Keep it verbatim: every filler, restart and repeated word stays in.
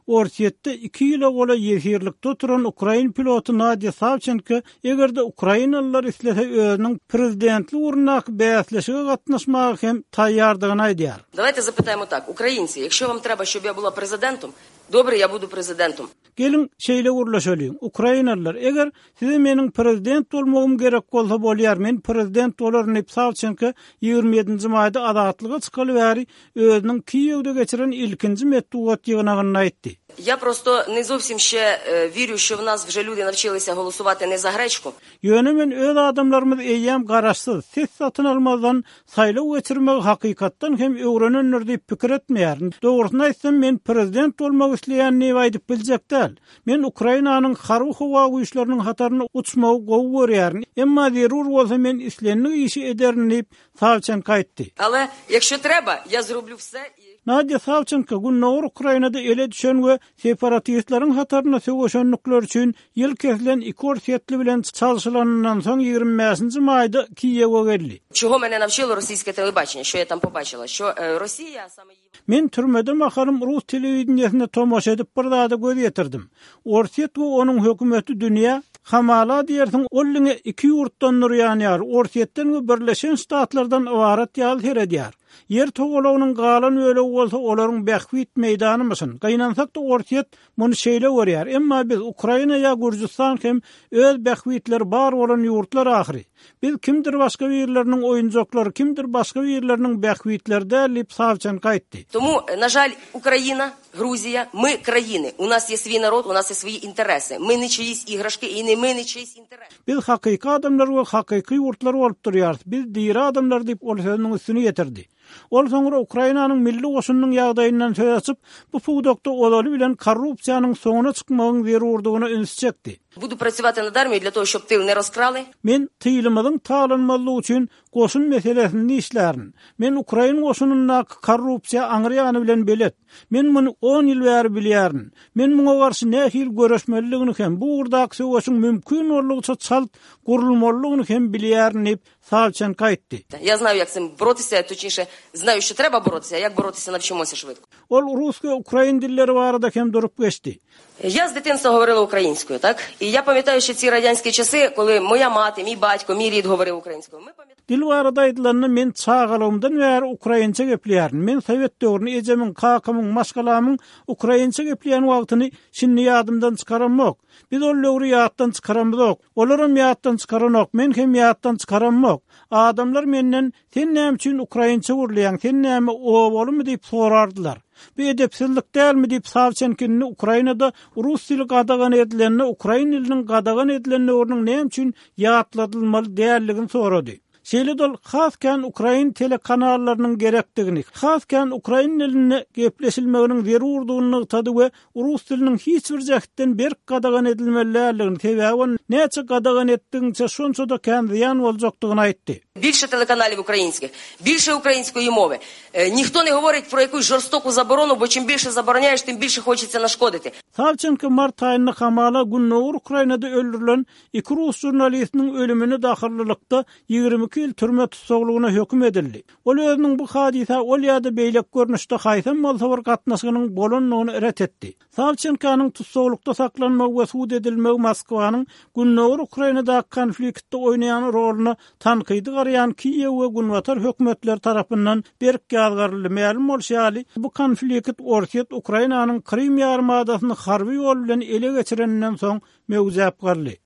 Orsýetde iki ýyla golaý ýesirlikde oturan ukrain piloty Nadýa Sawçenko eger-de ukrainalylar islese özüniň prezidentlik ugrundaky bäsleşige gatnaşmaga hem taýýardygyny aýdýar. Давайте запитаємо так. Українці, якщо вам треба, щоб я була президентом, добре, я буду президентом. Geliň, şeýle gürleşeliň. Ukrainalylar, eger size meniň prezident bolmagym gerek bolsa bolýar, men prezident bolaryn diýip Sawçenko ýigrimi ýedinji maýda azatlyga çykaly bäri özüniň Kiýewde geçiren ilkinji metbugat ýygnagynda aýtdy. Я просто не зовсім ще е, вірю, що в нас вже люди навчилися голосувати не за гречку. Ýöne men öz adamlarymyz eýýäm garaşsyz, ses satyn almazdan saýlaw geçirmegi hakykatdan hem öwrenendir diýip pikir etmeýärin. Dogrusyny aýtsam, men prezident bolmak isleýän diýip aýdyp biljek däl. Men Ukrainanyň harby howa güýçleriniň hataryny uçmagy gowy görýärin. Emma zerur bolsa men islendik işi ederin diýip Sawçenko aýtdy. Але якщо треба, я зроблю все і Nadýa Sawçenko Gündogar Ukrainada ele düşen we separatistleriň hataryna söweşenlikler üçin ýyl kesilen iki orsýetli bilen çalşylanyndan soň ýigrimi bäşinji maýda Kiýewe geldi. Чого мене навчило російське телебачення, що я там побачила? Що е, Росія саме її Men türmede mahalym rus telewideniýesine tomaşa edip bir zada göz ýetirdim. Orsýet we onuň hökümeti dünýä hamala diýersiň ol diňe iki ýurtdan durýan ýar, Orsýetden we Birleşen Ştatlardan ybarat ýaly seredýär. Ýer togalagynyň galan bölegi bolsa olaryň bähbit meýdanymyşyn. Gaýnansak-da Orsýet muny şeýle görýär. Emma biz Ukraina ýa Gürjüstan hem öz bähbitleri bar bolan ýurtlar ahyry. Biz kimdir başga birleriniň oýunjaklary, kimdir başga birleriniň bähbitleri däl diýip Sawçenko aýtdy. Тому, на жаль, Україна, Грузія, ми країни. У нас є свій народ, у нас є свої інтереси. Ми не чиїсь іграшки і не ми не чиїсь інтереси. Biz hakyky adamlar we hakyky ýurtlar bolup durýarys. Biz diri adamlar diýip ol sözüniň üstüni ýetirdi. Ol soňra Ukrainanyň milli goşunynyň ýagdaýyndan söz açyp, bu pudakda ozaly bilen korrupsiýanyň soňuna çykmagyň zerurdygyna üns çekdi. Буду працювати над армією для того, щоб тил не розкрали. Men tylymyzyň talanmazlygy üçin goşun meselesini işlärin. Men Ukrain goşunyndaky korrupsiýa aňryýany bilen belet. Men muny on ýyl bäri bilýärin. Men muňa garşy nähili görüşmeliligini hem bu ugurdaky söweşiň mümkin boldugyça çalt gurulmalydygyny hem bilýärin diýip Sawçenko aýtdy. Я знаю, як цим боротися, точніше, знаю, що треба боротися, а як боротися навчимося швидко. Ol rus we ukrain dilleri barada hem durup geçdi. Я з дитинства говорила українською, так? І я пам'ятаю ще ці радянські часи, коли моя мати, мій батько, мій рід говорив українською. Ми пам'ятаємо. Dil barada aýdylanda men çagalygymdan bäri ukrainçe gepleýärin. Men Sowet döwrüni ejemiň, kakamyň, maşgalamyň ukrainçe gepleýän wagtyny şindi ýadymdan çykaramok. Biz ol döwri ýatdan çykaramyzok. Olaram ýatdan çykaranok, men hem ýatdan çykaramok. Adamlar menden sen näme üçin ukrainçe gürleýäň, sen näme owalymy diýip sorardylar. Bu edepsizlik dälmi diýip Sawçenkini Ukrainada rus dili gadagan edilenini, ukrain diliniň gadagan edilenini onuň näme üçin ýatladylmaly dälligini sorady. Şeýle dol has kän ukrain telekanallarynyň gerekdigini, has kän ukrain diline gepleşilmeginiň zerurdygyny nygtady we rus diliniň hiç bir jähtden berk gadagan edilmeliligini, sebäbi näçe gadagan etdigiňçe şonça-da kän zyýan boljakdygyny aýtdy. Більше телеканалів українських, більше української мови. Е, ніхто не говорить про якусь жорстоку заборону, бо чим більше забороняєш, тим більше хочеться нашкодити. Sawçenko mart aýynda hamala Gündogar Ukrainada öldürilen iki rus jurnalistiniň ölümini dahyllylykda ýigrimi iki ýyl türme tussaglygyna höküm edildi. Ol özüniň bu hadysa ol ýa-da beýleki görnüşde haýsam bolsa bir gatnaşygynyň bolandygyny ret etdi. Sawçenkonyň tussaglykda saklanmagy we sud edilmegi Moskwanyň Gündogar Ukrainadaky konfliktde oýnaýan roluna tankydy garaýan Kiýew we Günbatar hökümetleri tarapyndan berk ýazgaryldy. Mälim bolşy ýaly, bu konflikt Orsýet Ukrainanyň Krym ýarymadasyny harby ýol bilen ele geçireninden soň möwjäp galdy.